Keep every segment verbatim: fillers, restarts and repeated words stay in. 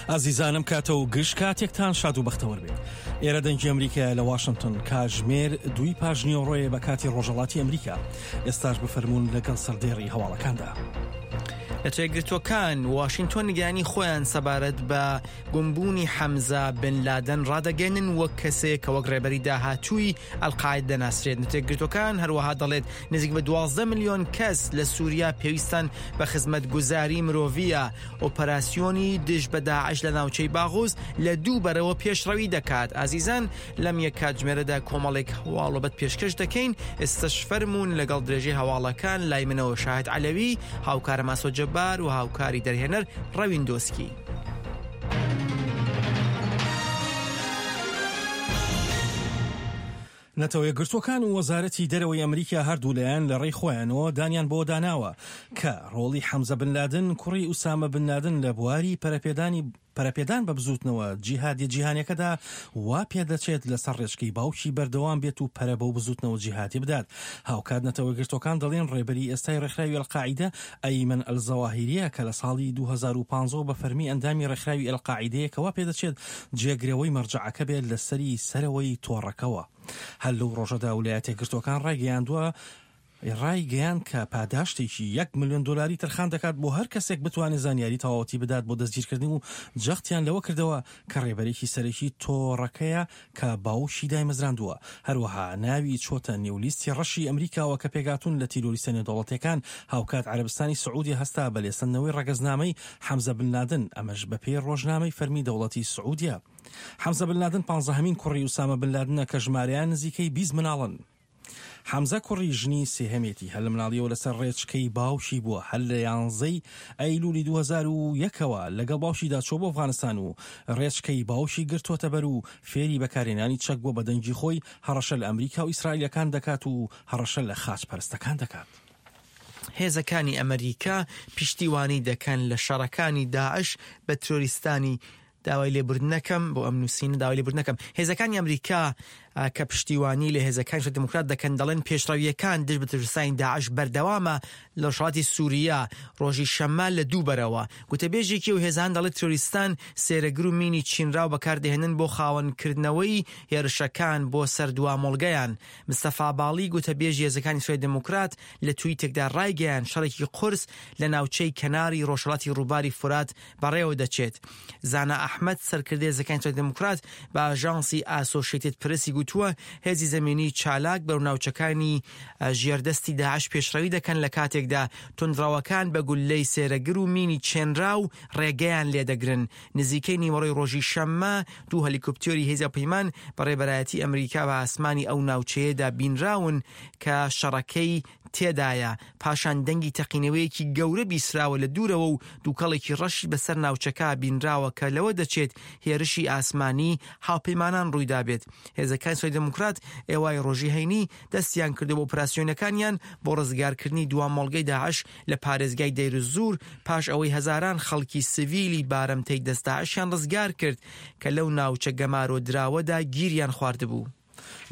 ئازیزانم کاتە و گشت کاتێکتان شاد و بەختەوەر بێت. ئێرە دەنگی ئەمریکایە لە واشنگتن، کاتژمێر دووی پاش نیوەڕۆیە بە کاتی ڕۆژهەڵاتی ئەمریکا. ئێستاش بفەرموون لەگەڵ سەردێڕی هەواڵەکاندا. نەتەوەیەکگرتووەکان واشنگتۆن نیگەرانی خۆیان سەبارەت بە گومبوونی حەمزە بن لادن ڕادەگەێنن وەک کەسێک کە وەک ڕێبەری داهاتووی ئەلقاعدە دەناسرێت. نەتەوەیەکگرتووەکان هەروەها دەڵێت نزیک بە دوازدە ملیۆن کەس لە سووریا پێویستان بە خزمەتگوزاری مرۆڤیە. ئۆپەراسیۆنی دژ بە داعش لە ناوچەی باغوز لە دوو بەرەوە پێشڕەوی دەکات. ئازیزان لەم یەک کاتژمێرەدا کۆمەڵێک هەواڵۆبەت پێشکەش دەکەین. ئێستاش فەرموون لەگەڵ درێژەی هەواڵەکان لای منەوە شاهد عەلەوی، هاوکارە ماسۆ جەبار و هاوکاری دەرهێنەر ڕەوین دۆسکی. نەتەوە یەکگرتووەکان و وەزارەتی دەرەوەی ئەمریکا هەردوو لایەن لە ڕێی خۆیانەوە دانیان بۆ داناوە کە ڕۆڵی حەمزە بن لادن کوڕی ئوسامە بن لادن لە بواری پەرەپێدانی پەرەپێدان بە بزوتنەوە جیهادیە جیهانیەکەدا وا پێدەچێت لەسەر ڕێچکەی باوکی بەردەوام بێت و پەرە بەو بزوتنەوە جیهادی بدات. هاوکات نەتەوە یەکگرتووەکان دەڵێن ڕێبەری ئێستای ڕێکخراوی ئەلقاعیدە ئەیمەن ئەلزەواهیریە کە لە ساڵی دوو هەزار و پازدە بە فەرمی ئەندامی ڕێکخراوی ئەلقاعیدەیە کە وا پێدەچێت جێگرەوەی مەرجەعەکە بێت لەسەری سەرەوەی تۆڕەکەوە. هەر لەو ڕۆژەدا ولایەتە یەکگرتووەکان ڕایگەیاندووە ڕایگەیان کە پاداشتێکی یەک ملیۆن دلاری تەرخان دەکات بۆ هەر کەسێک بتوانێت زانیاری تەواوەتی بدات بۆ دەستگیرکردن و جەختیان لەوە کردەوە کە ڕێبەرێکی سەرەکی تۆڕەکەیە کە باوکی دایمەزراندووە. هەروەها ناوی چۆتە نێو لیستی ڕەشی ئەمریکاوە کە پێگاتون لە تیرۆریستە نێودەوڵەتیەکان. هاوکات عەرەبستانی سعودیە هەستا بە لێسەندنەوەی ڕەگەزنامەی حەمزە بن لادن، ئەمەش بەپێی ڕۆژنامەی فەرمی دەوڵەتی سعودیە. حەمزە بن لادن پانزەهەمین کوڕی ئوسامە بن لادنە کە ژمارەیان نزیکەی بیست مناڵن. حەمزە کوڕی ژنی سێهەمێتی هەر لە مناڵیەوە لەسەر ڕێچکەی باوکی بووە. هەر لە یانزەی ئەیلولی دوو هەزار و یەکەوە لەگەڵ باوکیدا چۆ بۆ ئەفغانستان و ڕێچکەی باوکی گرتووەتە بەر و فێری بەکارهێنانی چەک بووە. بە دەنگی خۆی هەڕەشە لە ئەمریکا و ئیسرائیلەکان دەکات و هەڕەشە لە خاچپەرستەکان دەکات. هێزەکانی ئەمریکا پشتیوانی دەکەن لە شەڕەکانی داعش بە ترۆریستانی داوای لێبوردنەکەم بۆ ئەم نووسینە داوای لێبوردنەکەم. هێزەکانی ئەمریکا کە پشتیوانی لە هێزەکانی دێموکرات دەکەن دەڵێن پێشڕەویەکان دژ بە ترۆریستانی داعش بەردەوامە لە ڕۆژهەڵاتی سووریا ڕۆژی شەممە لە دوو بەرەوە. گوتەبێژێکی و هێزان دەڵێت ترۆریستان سێرەگر و مینی چینراو بەکاردەهێنن بۆ خاوەنکردنەوەی هێرشەکان بۆ سەر دوامۆڵگەیان. مستەفا باڵی گوتەبێژی هێزەکانی سووریای دێموکرات لە تویتێکدا ڕایگەیاند شەڕێکی قورس لە ناوچەی کەناری ڕۆژهەڵاتی ڕووباری فورات بەڕێوە دەچێت. زانا ئەحمەد سەرکردەی هێزەکانی سووریای دێموکرات بە ئاژانسی ئاسۆشیتد پرسی گوتووە هێزی زەمینی چالاک بەرەو ناوچەکانی ژێردەستی داعش پێشڕەوی دەکەن لە کاتێکدا توندڕەوەکان بە گوللەی سێرەگر و مینی چێنراو ڕێگەیان لێدەگرن. نزیکەی نیوەڕۆی ڕۆژی شەممە دوو هەلیکۆپتێری هێزی پەیمان بە ڕێبەرایەتی ئەمریکا بە ئاسمانی ئەو ناوچەیەدا بینراون کە شەڕەکەی تێدایە. پاشان دەنگی تەقینەوەیەکی گەورە بیسراوە لە دوورەوە و دووکەڵێکی ڕەشی بەسەر ناوچەکە بینراوە کە لەوە دەچێت هێرشی ئاسمانی هاوپەیمانان ڕوویدا بێت. هێزەکانی سووریای دێموکرات ئێوای ڕۆژی هەینی دەستیان کردو بۆ ئۆپراسیۆنەکانیان بۆ ڕزگارکردنی دوامۆڵگەی داعش لە پارێزگای دەیرزور پاش ئەوەی هەزاران خەڵکی سڤیلی بارمتەی دەست داعشیان ڕزگار کرد کە لەو ناوچە گەمارۆدراوەدا گیریان خواردبوو.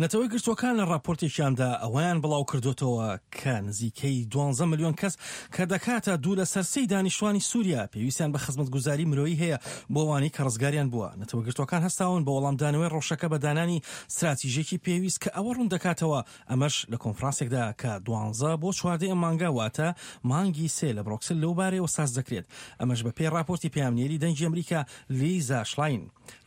نەتەوە یەکگرتووەکان لە راپۆرتێکیاندا ئەوەیان بڵاو کردوتەوە کە نزیکەی دوانزە ملیۆن کەس کە دەکاتە دوو لەسەر سێی دانیشتوانی سووریا پێویستیان بە خزمەتگوزاری مرۆیی هەیە بۆ ئەوانەی کە ڕزگاریان بووە. نەتەوە یەکگرتووەکان هەستاون بە وەڵامدانەوەی ڕەوشەکە بە دانانی ستراتیژێکی پێویست کە ئەوە ڕوون دەکاتەوە. ئەمەش لە کۆنفرانسێکدا کە دوانزە بۆ چواردەی ئەم مانگە واتە مانگی سێ لە برۆکسل لەو بارەیەوە ساز دەکرێت. ئەمەش بە پێی راپۆرتی پەیامنێری دەنگی ئەمریکا لیزا شلاین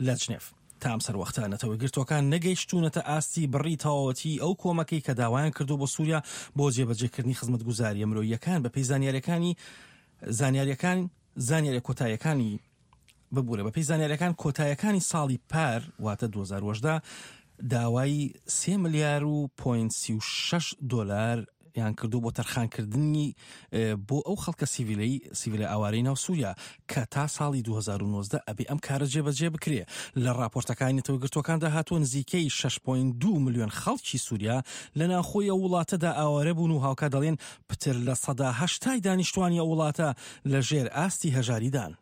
لە جنێف. تا ئەم سەروەختە نەتەوە یەکگرتووەکان نەگەیشتوونەتە ئاستی بڕی تەواوەتی ئەو کۆمەکەی کە داوایان کردو بۆ سووریا بۆ جێبەجێکردنی خزمەتگوزاریە مرۆییەکان بەپێی زانیاریەکانی زانیاریەکان زانیاریە کۆتاییەکانی ببوورە بەپێی زانیاریەکان کۆتاییەکانی ساڵی پار واتە دوو هەزار و هەژدە داوای سێ ملیار و پۆینت سی و شەش دۆلار یان کردو بۆ تەرخانکردنی بۆ ئەو خەڵکە سیڤیلەی سیڤیلە ئاوارەی ناو سووریا کە تا ساڵی دوو هەزار و نۆزدە ئەبێ ئەم کارە جێبەجێ بکرێ. لە راپۆرتەکانی نەتەوە یەکگرتووەکاندا هاتووە نزیکەی شەش پۆینت دوو ملیۆن خەڵکی سووریا لە ناوخۆی ئەو وڵاتەدا ئاوارە بوون و هاوکات دەڵێن پتر لە سەدا هەشتای دانیشتوانی ئەو وڵاتە لە ژێر ئاستی هەژاریدان.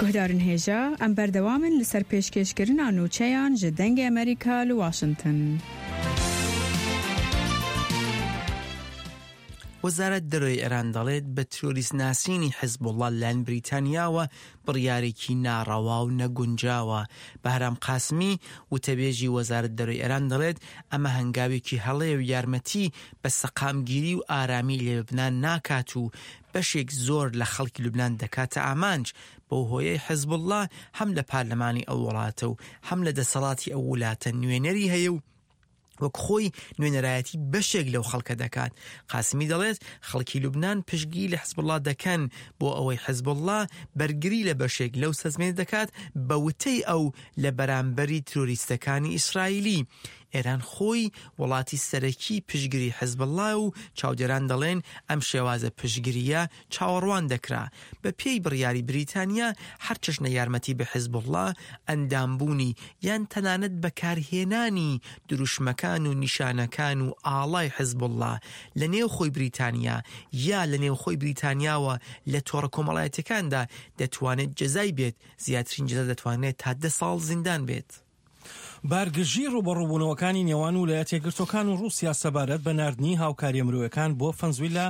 گوهدارن هێژا ئەم بەردەوامن لەسەر پێشکێشکردنا نوچەیان ji دەنگê ئەمریکا li Washington. وەزارەت دەرەوەی ئێران دەڵێت بە تیرۆریست ناسینی حزبوڵڵا لەلایەن بریتانیاوە بڕیارێکی ناڕەوا و نەگونجاوە. بەهرام قاسمی وتەبێژی وەزارەت دەرەوەی ئێران دەڵێت ئەمە هەنگاوێکی هەڵەیە و یارمەتی بە سەقامگیری و ئارامی لە لوبنان ناکات و بەشێک زۆر لە خەڵکی لوبنان دەکاتە ئامانج، بەو هۆیەی حزبوڵڵا هەم لە پەرلەمانی ئەو وڵاتە و هەم لە دەسەڵاتی ئەو وڵاتە نوێنەری هەیە و وەک خۆی نوێنەرایەتی بەشێک لەو خەڵکە دەکات. قاسمی دەڵێت خەڵکی لوبنان پشتگیری لە حزبوڵڵا دەکەن بۆ ئەوەی حزبوڵڵا بەرگری لە بەشێک لەو سەرزمینە دەکات بە وتەی ئەو لە بەرامبەری تیرۆریستەکانی ئیسرائیلی. ئێران خۆی وڵاتی سەرەکی پشتگیری حزبوڵڵا و چاودێران دەڵێن ئەم شێوازە پشتگیریە چاوەڕوان دەکرا. بە پێی بڕیاری بریتانیا هەر چەشنە یارمەتی بە حزبوڵڵا، ئەندامبوونی یان تەنانەت بەکارهێنانی دروشمەکان و نیشانەکان و ئاڵای حزبوڵڵا لە نێوخۆی بریتانیا یا لە نێوخۆی بریتانیاوە لە تۆڕە کۆمەڵایەتیەکاندا دەتوانێت جەزای بێت، زیاترین جەزا دەتوانێت تا دە ساڵ زیندان بێت. بارگرژی ڕووبەڕووبوونەوەکانی نێوان ویلایەتە یەکگرتووەکان و ڕووسیا سەبارەت بە ناردنی هاوکاریە مرۆیەکان بۆ فەنزویلا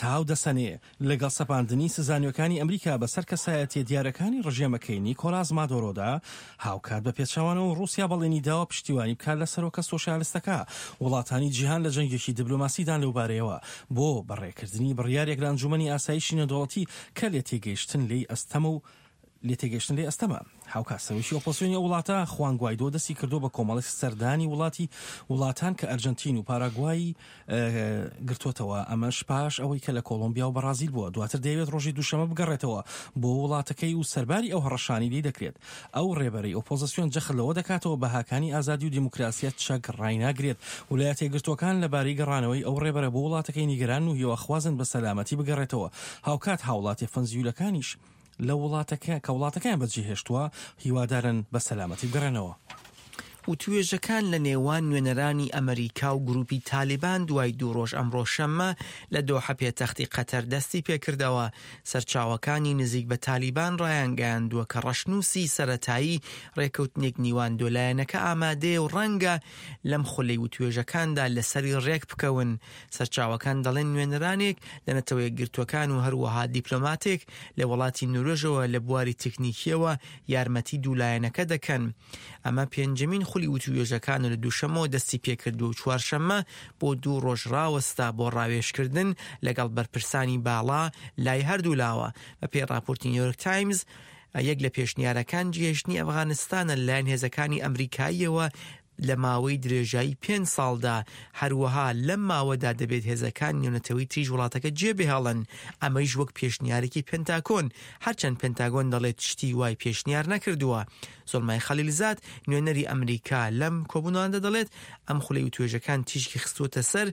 تاو دەسەنێ، لەگەڵ سەپاندنی سزا نوێکانی ئەمریکا بەسەر کەسایەتیە دیارەکانی ڕژێمەکەی نیکۆلاس مادۆرۆدا. هاوکات بە پێچەوانەوە ڕووسیا بەڵێنی داوە پشتیوانی بکات لە سەرۆکە سۆسیالستەکە. وڵاتانی جیهان لە جەنگێکی دیبلۆماسیدان لەوبارەیەوە بۆ بەڕێکردنی بڕیارێک لە ئەنجومەنی ئاسایشی نێودەوڵەتی کە لێ تێگەیشتن لێی ئەستەمە و لێ تێگەیشتن لێ ئەستەمە. هاوکات سەرۆکی ئۆپۆزسیۆنی ئەو وڵاتە خوان گوایدۆ دەستی کردووە بە کۆمەڵێک سەردانی وڵاتی وڵاتان کە ئەرجنتین و پاراگوای گرتووەتەوە، ئەمەش پاش ئەوەی کە لە کۆڵۆمبیا و بەرازیل بووە. دواتر دەیەوێت ڕۆژی دووشەمە بگەڕێتەوە بۆ وڵاتەکەی و سەرباری ئەو هەڕەشانی لی دەکرێت. ئەو ڕێبەرەی ئۆپۆزسیۆن جەخت لەوە دەکاتەوە بەهاکانی ئازادی و دیموکراسیەت چەک ڕایناگرێت. ویلایەتە یەکگرتووەکان لەبارەی گەڕانەوەی ئەو ڕێبەرە بۆ وڵاتەکەی نیگەران و هیواخوازن بە سەلامەتی بگەڕێتەوە. هاوکات هاوڵاتیە فەنزیولەکانیش لە وڵاتەکە کە وڵاتەکەیان بەجێهێشتووە هیوادارن بە سەلامەتی بگەڕێنەوە. وتوێژەکان لە نێوان نوێنەرانی ئەمریکا و گروپی تالیبان دوای دوو ڕۆژ ئەمڕۆ شەممە لە دۆحە پێتەختی قەتەر دەستی پێکردەوە. سەرچاوەکانی نزیک بە تالیبان ڕایانگەیاندووە کە ڕەشنووسی سەرەتایی ڕێکەوتنێک نیوان دۆلایەنەکە ئامادەیە و ڕەنگە لەم خولەی وتوێژەکاندا لەسەری ڕێک بکەون. سەرچاوەکان دەڵێن نوێنەرانێک لە نەتەوە یەکگرتووەکان و هەروەها دیپلۆماتێک لە وڵاتی نۆروێژەوە لە بواری تەکنیکیەوە یارمەتی دوولایەنەکە دەکەن. ئەمە پێنجەمین خولی وتوێژەکان لە دووشەمەوە دەستی پێکردووە و چوارشەممە بۆ دوو ڕۆژ ڕاوەستا بۆ ڕاوێژکردن لەگەڵ بەرپرسانی باڵا لای هەردوو لاوە. بە پێی ڕاپۆرتی نیویۆرک تایمز یەک لە پێشنیارەکان جێهێشتنی ئەفغانستانە لەلایەن هێزەکانی ئەمریکاییەوە لە ماوەی درێژایی پێنج ساڵدا. هەروەها لەم ماوەدا دەبێت هێزەکان نێونەتەوەی تریش وڵاتەکە جێبهێڵن، ئەمەیش وەک پێشنیارێکی پنتاگۆن، هەرچەند پنتاگۆن دەڵێت شتی وای پێشنیار نەکردووە. زۆڵمای خەلیلزاد نوێنەری ئەمریکا لەم کۆبوونەوەدا دەڵێت ئەم خولەی وتوێژەکان تیشکی خستووەتە سەر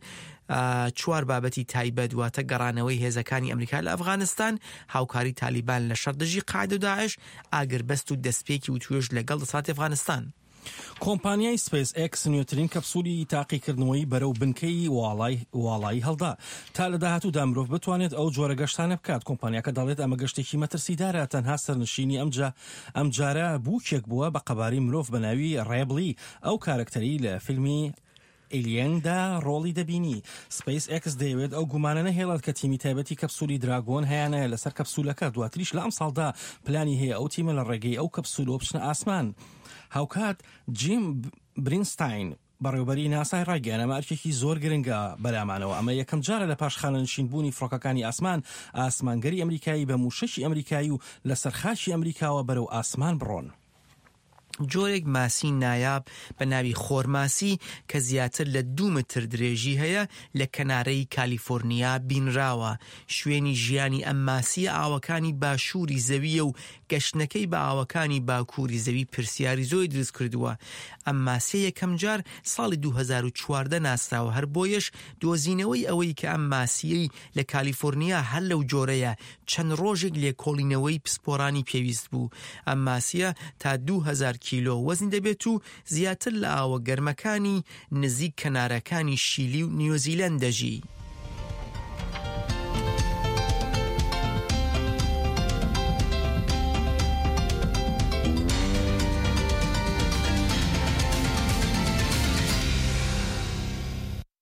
چوار بابەتی تایبەت، واتە گەڕانەوەی هێزەکانی ئەمریکا لە ئەفغانستان، هاوکاری تالیبان لە شەڕ دژی قاعدە و داعش، ئاگربەست و دەستپێکی وتوێژ لەگەڵ دەسەڵاتی ئەفغانستان. کۆمپانیای سپەیس ئێکس نوێترین کەپسولی تاقیکردنەوەی بەرەو بنکەی واڵایی هەڵدا تا لە داهاتوودا مرۆڤ بتوانێت ئەو جۆرە گەشتانە بکات. کۆمپانیاکە دەڵێت ئەمە گەشتێکی مەترسیدارە، تەنها سەرنشینی ئەمجا ئەمجارە بووکێک بووە بە قەبارەی مرۆڤ بە ناوی ڕێبلی، ئەو کارەکتەری لە فیلمی ئێلیەندا ڕۆڵی دەبینی. سپەیس ئێکس دەیەوێت ئەو گومانە نەهێڵێت کە تیمی تایبەتی کەپسولی دراگۆن هەیانە لەسەر کەپسولەکە. دواتریش لە ئەمساڵدا پلانی هەیە ئەو تیمە لە ڕێگەی ئەو کەپسولەوە بچنە ئاسمان. هاوکات جیم برینستاین بەڕێوبەری ناسای ڕایگەیاند ئەمە ئەرکێکی زۆر گرنگە بەلامانەوە. ئەمە یەکەم جارە لە پاش خانەنشین بوونی فڕۆکەکانی ئاسمان ئاسمانگەری ئەمریکایی بە مووشەکی ئەمریکایی و لەسەر خاکی ئەمریکاوە بەرەو ئاسمان بڕۆن. جۆرێک ماسی نایاب بە ناوی خۆرماسی کە زیاتر لە دوو متر درێژی هەیە لە کەنارەی کالیفۆرنیا بینراوە. شوێنی ژیانی ئەم ماسیە ئاوەکانی باشووری زەویە و گەشتنەکەی بە ئاوەکانی باکووری زەوی پرسیاری زۆری دروست کردووە. ئەم ماسیە یەکەم جار ساڵی دوو هەزار و چواردە ناسراوە، هەر بۆیەش دۆزینەوەی ئەوەی کە ئەم ماسیەی لە کالیفۆرنیا هەر لەو جۆرەیە چەند ڕۆژێک لێکۆڵینەوەی پسپۆرانی پێویست بوو. ئەم ماسیە تا دوو هەزار کیلۆ وەزن دەبێت و زیاتر لە ئاوە گەرمەکانی نزیک کەنارەکانی شیلی و نیوزیلەند دەژی.